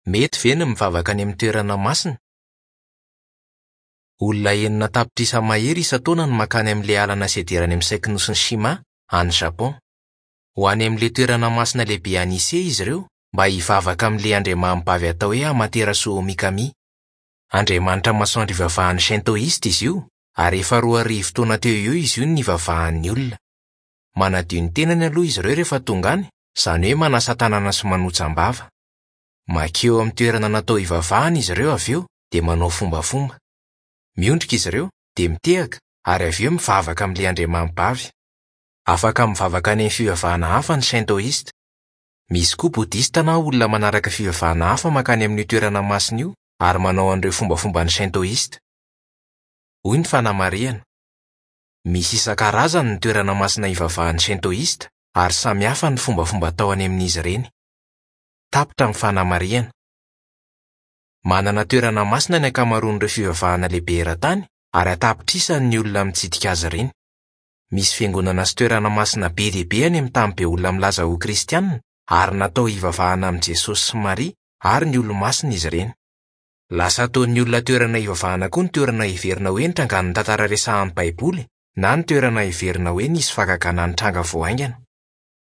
Mety ve ny mivavaka any amin'ny toerana masina? Olona 6 tapitrisa mahery isan-taona no mankany amin'ilay alana sedera any amin'ny saikinosin'i Shima, any Japon. Ho any amin'ilay toerana masina lehibe any Ise izy ireo mba hivavaka amin'ilay andriamanibavy atao hoe Amaterasu Omikami. Andriamanitra masoandro ivavahan'ny Shintoista izy io, ary efa 2000 taona teo ho eo izy io no nivavahan'ny olona. Manadio ny tenany aloha izy ireo rehefa tonga any, izany hoe manasa tanana sy manotsam-bava. Mankeo amin'ny toerana natao hivavahana izy ireo avy eo dia manao fombafomba. Miondrika izy ireo, dia mitehaka, ary avy eo mivavaka amin'ilay andriamanibavy. Afaka mivavaka any amin'ny fivavahana hafa ny Shintoista. Misy koa Bodista na olona manaraka fivavahana hafa mankany amin'io toerana masina io ary manao an'ireo fombafomban'ny Shintoista. Hoy ny fanamarihana, Misy isan-karazany ny toerana masina ivavahan'ny Shintoista ary samy hafa ny fombafomba atao any amin'izy ireny. Tapitra ny fanamarihana. Manana toerana masina ny ankamaroan'ireo fivavahana lehibe eran-tany ary an-tapitrisany ny olona mitsidika azy ireny. Misy fiangonana sy toerana masina be dia be any amin'ny tany be olona milaza ho Kristianina ary natao hivavahana amin'i Jesosy sy Maria ary ny olo-masina izy ireny. Lasa ataon'ny olona toerana hivavahana koa ny toerana heverina hoe nitrangan'ny tantara resahan'ny Baiboly na ny toerana heverina hoe nisy fahagagana nitranga vao haingana.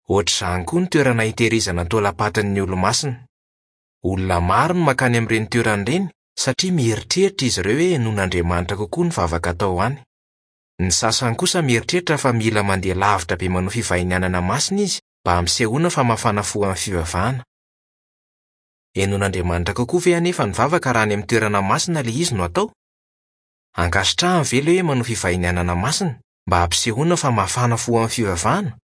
Hoatr'izany koa ny toerana hitehirizana taolam-patin'ny olo-masina. Olona maro no mankany amin'ireny toerana ireny satria mieritreritra izy ireo hoe henoin'Andriamanitra kokoa ny vavaka atao any. Ny sasany kosa mieritreritra fa mila mandeha lavitra be manao fivahinianana masina izy mba hampisehoana fa mafana fo amin'ny fivavahana. Henoin'Andriamanitra kokoa ve anefa ny vavaka raha any amin'ny toerana masina ilay izy no atao? Ankasitrahany ve ilay hoe manao fivahinianana masina mba hampisehoana fa mafana fo amin'ny fivavahana?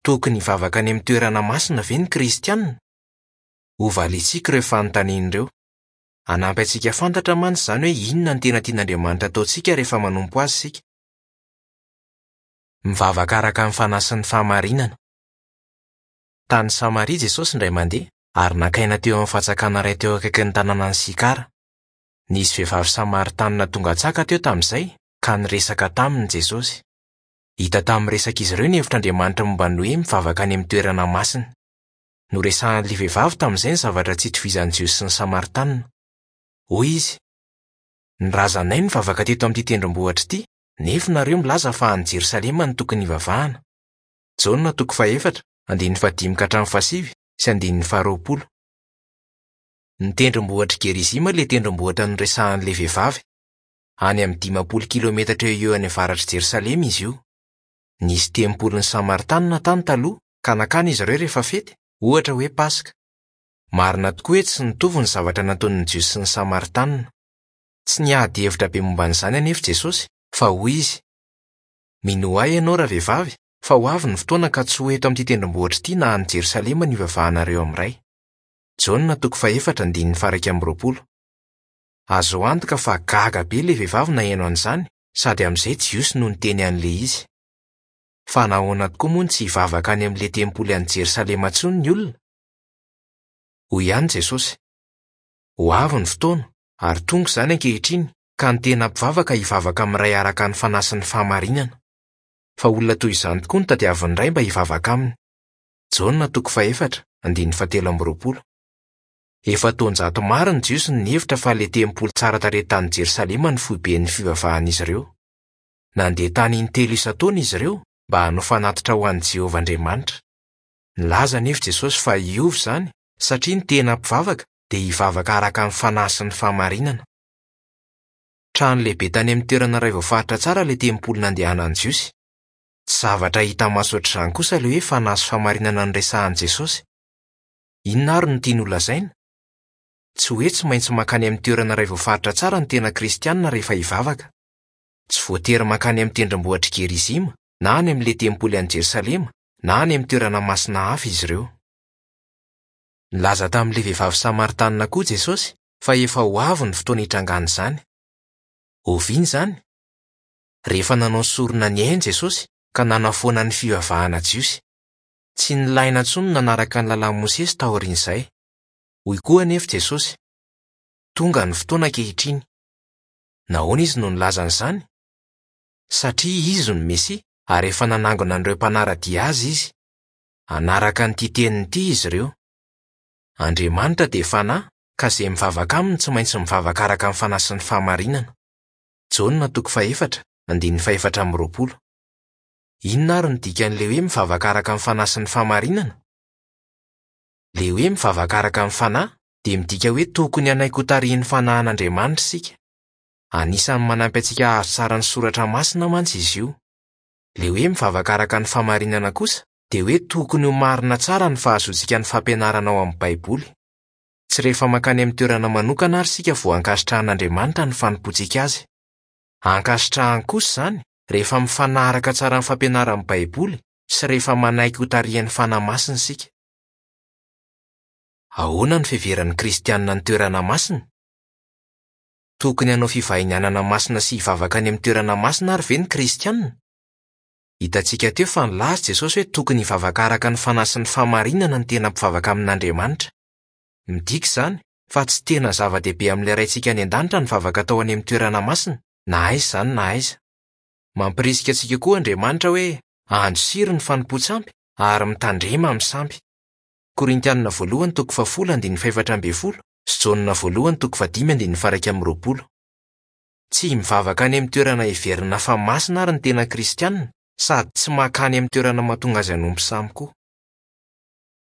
Tokony hivavaka any amin'ny toerana masina ve ny Kristianina? Hovaliantsika ireo fanontaniana ireo. Hanampy antsika hahafantatra mantsy izany hoe inona no tena tian'Andriamanitra hataontsika rehefa manompo azy isika. Mivavaka araka ny fanahy sy ny fahamarinana. Tany Samaria Jesosy indray mandeha, ary nankaina teo amin'ny fantsakana iray teo akaikin'ny tanànan'i Sikara. Nisy vehivavy samaritanina tonga tsaka teo tamin'izay, ka niresaka taminy Jesosy. Hita tamin'ny resak'izy ireo ny hevitr'Andriamanitra momba ny hoe mivavaka any amin'ny toerana masina. Noresahan'ilay vehivavy tamin'izay ny zavatra tsy itovizan'ny Jiosy sy ny Samaritanina. Hoy izy, Ny razanay nivavaka teto amin'ity tendrombohitra ity, nefa nareo milaza fa any Jerosalema no tokony hivavahana. Jaona toko fahefatra, andininy fahadimy ka hatramin'ny fahasivy sy andininy faharoapolo. Ny tendrombohitr'i Gerizima ilay tendrombohitra noresahan'ilay vehivavy. Any amin'ny 50 kilometatra eo ho eo any avaratr'i Jerosalema izy io. Nisy tempolin'ny Samaritanina tany taloha, ka nankany izy ireo rehefa fety, ohatra hoe Paska. Marina tokoa hoe tsy nitovy ny zavatra nataon'ny Jiosy sy ny Samaritanina. Tsy niady hevitra be momba an'izany anefa Jesosy, fa hoy izy, Minoa ahy ianao, ravehivavy, fa ho avy ny fotoana ka tsy ho eto amin'ity tendrombohitra ity na any Jerosalema ny hivavahanareo amin'ny Ray. Jaona toko fahefatra andininy faha-21. Azo antoka fa gaga be ilay vehivavy naheno an'izany, sady amin'izay Jiosy no niteny an'ilay izy. Fa nahoana tokoa moa no tsy hivavaka any amin'ilay tempoly any Jerosalema intsony ny olona? Hoy ihany Jesosy, Ho avy ny fotoana, ary tonga izany ankehitriny, ka ny tena mpivavaka hivavaka amin'ny Ray araka ny fanahy sy ny fahamarinana. Fa olona toy izany tokoa no tadiavin'ny Ray mba hivavaka aminy. Jaona toko fahefatra, andininy fahatelo amby roapolo. Efa taonjato maro ny Jiosy no nihevitra fa ilay tempoly tsara tarehy tany Jerosalema no foiben'ny fivavahan'izy ireo. Nandeha tany intelo isan-taona izy ireo mba hanao fanatitra ho an'i Jehovah Andriamanitra. Nilaza anefa Jesosy fa hiova izany satria ny tena mpivavaka dia hivavaka araka ny fanahy sy ny fahamarinana. Trano lehibe tany amin'ny toerana iray voafaritra tsara ilay tempoly nandehanan'ny Jiosy. Tsy zavatra hita maso hoatr'izany kosa ilay hoe fanahy sy fahamarinana noresahin'i Jesosy. Inona àry no tiany holazaina? Tsy hoe tsy maintsy mankany amin'ny toerana iray voafaritra tsara ny tena Kristianina rehefa hivavaka. Tsy voatery mankany amin'ny tendrombohitr'i Gerizima, na any amin'ilay tempoly any Jerosalema, na any amin'ny toerana masina hafa izy ireo. Nilaza tamin'ilay vehivavy samaritanina koa Jesosy fa efa ho avy ny fotoana hitrangan'izany. Oviana izany? Rehefa nanao sorona ny ainy Jesosy ka nanafoana ny fivavahana jiosy. Tsy nilaina intsony ny nanaraka ny Lalàn'i Mosesy taorian'izay. Hoy koa anefa Jesosy, Tonga ny fotoana ankehitriny. Nahoana izy no nilaza an'izany? Satria izy no Mesia ary efa nanangona an'ireo mpanara-dia azy izy. Hanaraka an'ity teniny ity izy ireo. Andriamanitra dia Fanahy, ka izay mivavaka aminy tsy maintsy mivavaka araka ny fanahy sy ny fahamarinana. Jaona toko fahefatra, andininy fahefatra amby roapolo. Inona àry no dikan'ilay hoe mivavaka araka ny fanahy sy ny fahamarinana? Ilay hoe mivavaka araka ny fanahy dia midika hoe tokony hanaiky hotarihin'ny fanahin'Andriamanitra isika. Anisan'ny manampy antsika hahazo tsara ny soratra masina mantsy izy io. Ilay hoe mivavaka araka ny fahamarinana kosa dia hoe tokony ho marina tsara ny fahazoantsika ny fampianarana ao amin'ny Baiboly. Tsy rehefa mankany amin'ny toerana manokana àry isika vao ankasitrahan'Andriamanitra ny fanompoantsika azy. Ankasitrahany kosa izany rehefa mifanaraka tsara amin'ny fampianaran'ny Baiboly sy rehefa manaiky hotarihan'ny fanahy masina isika. Ahoana no fiheveran'ny Kristianina ny toerana masina? Tokony hanao fivahinianana masina sy hivavaka any amin'ny toerana masina àry ve ny Kristianina? Hitantsika teo fa nilaza Jesosy hoe tokony hivavaka araka ny fanahy sy ny fahamarinana ny tena mpivavaka amin'Andriamanitra. Midika izany fa tsy tena zava-dehibe amin'ilay Raintsika any an-danitra ny vavaka atao any amin'ny toerana masina, na aiza izany na aiza. Mampirisika antsika koa Andriamanitra hoe andosiro ny fanompoan-tsampy ary mitandrema amin'ny sampy. Korintianina voalohany toko fahafolo andininy fahefatra ambin'ny folo sy Jaona voalohany toko fahadimy andininy faha-iraika amby roapolo. Tsy mivavaka any amin'ny toerana heverina fa masina àry ny tena Kristianina, sady tsy mankany amin'ny toerana mahatonga azy hanompo sampy koa.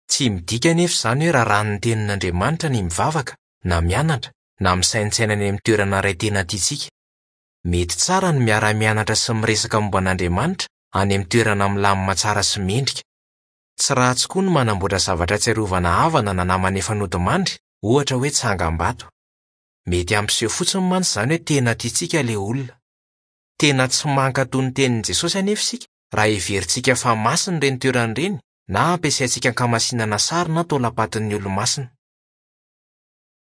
Tsy midika anefa izany hoe raràn'ny Tenin'Andriamanitra ny mivavaka, na mianatra, na misaintsaina any amin'ny toerana iray tena tiantsika. Mety tsara ny miara-mianatra sy miresaka momba an'Andriamanitra any amin'ny toerana milamina tsara sy mendrika. Tsy ratsy koa ny manamboatra zavatra ahatsiarovana havana na namana efa nodimandry, ohatra hoe tsangambato. Mety hampiseho fotsiny mantsy izany hoe tena tiantsika ilay olona. Tena tsy mankatò ny tenin'i Jesosy anefa isika raha heverintsika fa masina ireny toerana ireny na ampiasaintsika ankamasinana sary na taolam-patin'ny olo-masina.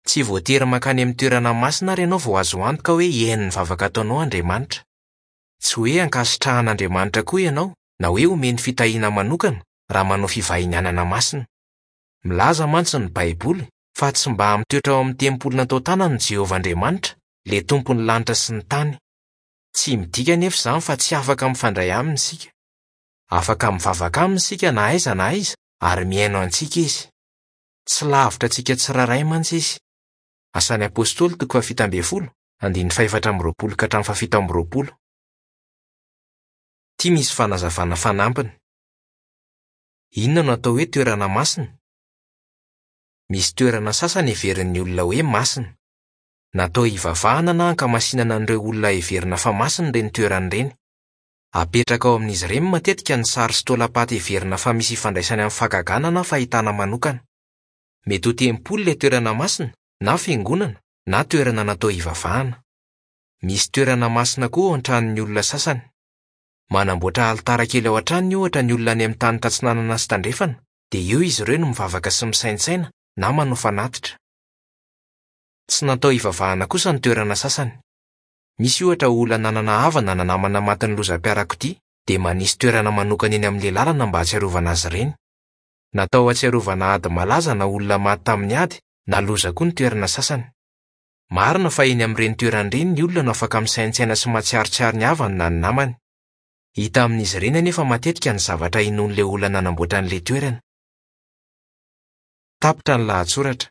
Tsy voatery mankany amin'ny toerana masina àry ianao vao azo antoka hoe hihaino ny vavaka ataonao Andriamanitra. Tsy hoe ankasitrahan'Andriamanitra koa ianao na hoe omeny fitahiana manokana raha manao fivahinianana masina. Milaza mantsy ny Baiboly fa tsy mba mitoetra ao amin'ny tempoly natao tanana i Jehovah Andriamanitra, ilay Tompon'ny lanitra sy ny tany. Tsy midika anefa izany fa tsy afaka mifandray aminy isika. Afaka mivavaka aminy isika na aiza na aiza, ary mihaino antsika izy. Tsy lavitra antsika tsirairay mantsy izy. Asan'ny Apostoly toko fahafito ambin'ny folo, andininy fahefatra amby roapolo ka hatramin'ny fahafito amby roapolo. Ity misy fanazavana fanampiny. Inona no atao hoe toerana masina? Misy toerana sasany heverin'ny olona hoe masina. Natao hivavahana na hankamasinana an'ireo olona heverina fa masina ireny toerana ireny. Apetraka ao amin'izy ireny matetika ny sary sy taolam-paty heverina fa misy ifandraisany amin'ny fahagagana na fahitana manokana. Mety ho tempoly ilay toerana masina, na fiangonana, na toerana natao hivavahana. Misy toerana masina koa ao an-tranon'ny olona sasany. Manamboatra alitara kely ao an-tranony, ohatra, ny olona any amin'ny tany tatsinanana sy tandrefana, dia eo izy ireo no mivavaka sy misaintsaina na manao fanatitra. Tsy natao hivavahana kosa ny toerana sasany. Misy, ohatra, olona nanana havana na namana matin'ny lozam-piarakodia, dia manisy toerana manokana eny amin'ilay lalana mba hahatsiarovana azy ireny. Natao hahatsiarovana ady malaza na olona maty tamin'ny ady na loza koa ny toerana sasany. Marina fa eny amin'ireny toerana ireny ny olona no afaka misaintsaina sy mahatsiarotsiaro ny havany na ny namany. Hita amin'izy ireny anefa matetika ny zavatra inoan'ilay olona nanamboatra an'ilay toerana. Tapitra ny lahatsoratra.